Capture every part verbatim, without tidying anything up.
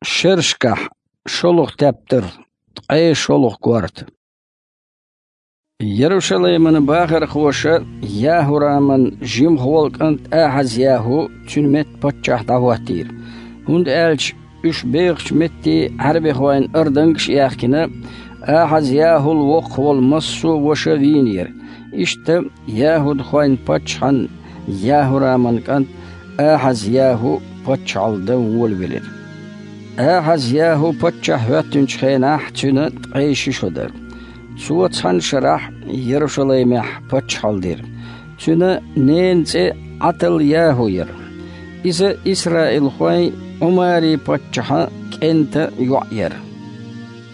Шерашкахь шолгӀа тептар, ткъе шолгӀа корта. Ярушалайман бахархоша ЯхӀураман жимха волу кӀант Ахьаз-ЯхӀу цуьнан метта паччахь дӀахӀоттийра, хӀунда аьлча уьш бехачу метте Ӏаьрбихойн ардангаш а яьхкина, Ахьаз-ЯхӀул воккхах волу массо а ваша вийнера. Иштта яхӀудхойн паччахьан ЯхӀураман кӀант Ахьаз-ЯхӀу паччахьалла дан волавелира. Ахьаз-ЯхӀу паччахь хӀоьттинчу хенахь цуьнан ткъе ши шо дара. Цо цхьана шарахь Ярушалаймехь паччахьалла дира. Цуьнан ненан цӀе Ӏатал-ЯхӀу яра. Иза исраилхойн Ӏумари-паччахьан кӀентан йоӀ яра.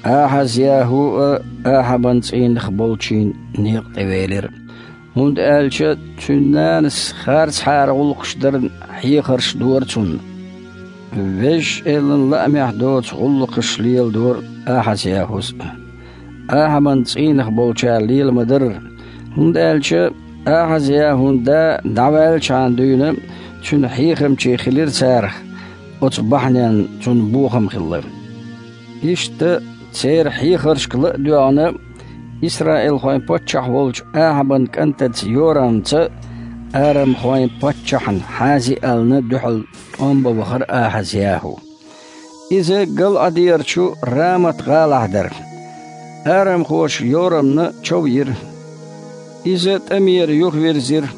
Ахьаз-ЯхӀу а Ахьабан цӀийнах болчийн некъа тӀевелира, хӀунда аьлча цуьнан нанас харцахьара гӀуллакхаш дарна хьехарш дора цунна. Везачу Элан лаамехь доцу гӀуллакхаш леладора Ахьаз-ЯхӀус а. Ахьабан цӀийнах болчара лела ма дарра, хӀунда аьлча Ахьаз-ЯхӀун да дӀаваьллачхьана дуьйна цуьнан хьехамчий хилира царах, оцу бахьаненна цунна бохам хилла. Иштта церан хьехаршка ла а доьгӀна, исраилхойн паччахь волчу Ахьабан кӀантаца Йорамца арамхойн паччахьна Хьазиална дуьхьал тӀом бан вахара Ахьаз-ЯхӀу. Иза ГалӀадерачу Рамат-гӀалахь дара. Арамхоша Йорамна чов йира. Иза тӀамера юхавирзира.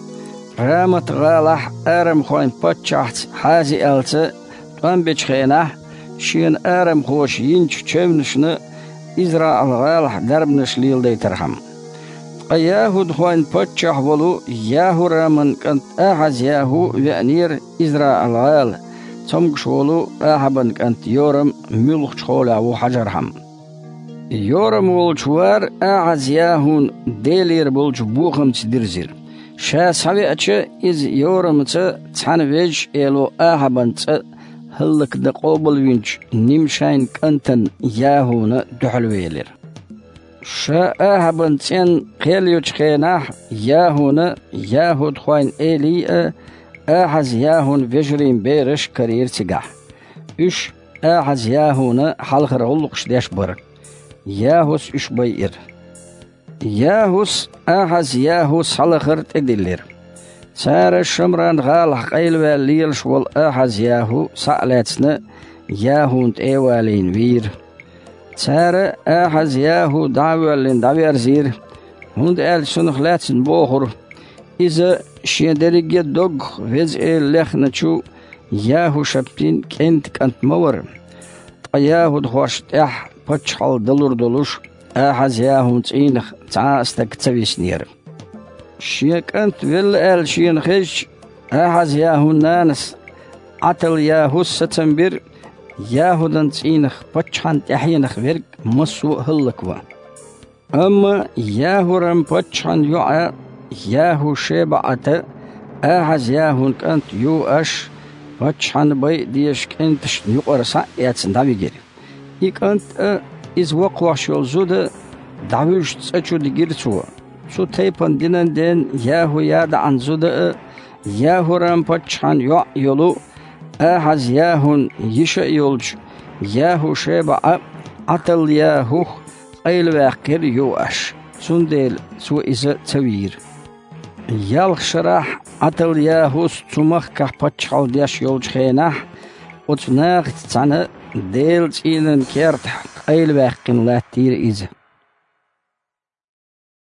Рамат-гӀалахь арамхойн паччахьца Хьазиалца тӀом бечу хенахь, шена арамхоша йинчу чевнашна ИзраӀал-гӀалахь дарбанаш леладайтархьама. Ткъа яхӀудхойн паччахь волу ЯхӀураман кӀант Ахьаз-ЯхӀу веанера ИзраӀал-гӀала, цомгуш волу Ахьабан кӀант Йорам муьлхачу хьолехь ву хьажархьама. Йорам волчу вара Ахьаз-ЯхӀун Делера болчу бохамца дирзира. Ша схьавеача, иза Йорамца цхьаьна Везачу Эло Ахьабан цӀа хӀаллакдан къобалвинчу Нимшайн кӀантана ЯхӀуна дуьхьалвелира. Ша Ахьабан цӀенна кхел йочу хенахь, ЯхӀуна яхӀудхойн элий а, Ахьаз-ЯхӀун вежарийн бераш а карийра цигахь. Уьш Ахьаз-ЯхӀуна хьалхара гӀуллакхаш деш бара. ЯхӀус уьш байира. ЯхӀус Ахьаз-ЯхӀу схьалахар тӀедиллира. Цара Шамран-гӀалахь къайлаваьлла лелаш волу Ахьаз-ЯхӀу схьа а лаьцна, ЯхӀун тӀе а валийна вийра. Цара Ахьаз-ЯхӀу дӀа а воьллина дӀаверзийра, хӀунда аьлча цунах лаьцна бохура: «Иза шен дерриге а доггах Веза Эла лехначу ЯхӀушаптин кӀентан кӀант ма вара». Ткъа яхӀудхошна тӀехь паччахьалла далур долуш, Ахьаз-ЯхӀун цӀийнах цхьа а стаг ца виснера. Шен кӀант велла аьлла шена хезча, Ахьаз-ЯхӀун нанас Ӏатал-ЯхӀус сацам бира, ЯхӀудан цӀийнах паччахьан тӀаьхьенах верг массо а хӀаллакван. Амма ЯхӀурам-паччахьан йоӀа ЯхӀу-ШебаӀата Ахьаз-ЯхӀун кӀант Юаш паччахьан байа дезачу кӀенташна юкъара схьа а эцна дӀавигира. И кӀант а, иза воккхош йолу зуда а дӀавуьжучу цӀа чу дигира цо. Цу тайпана динан ден ЯхӀу-ЯдаӀан зуда а, ЯхӀурам-паччахьан йоӀ йолу Ахьаз-ЯхӀун йиша а йолчу ЯхӀу-ШебаӀа Ӏатал-ЯхӀух къайлаваьккхира Юаш, цундела цо иза ца вийра. Ялх шарахь Ӏатал-ЯхӀус цу махкахь паччахьалла деш йолчу хенахь, оцу нахаца цхьаьна Делан цӀийнан кертахь къайлаваьккхина латтийра иза.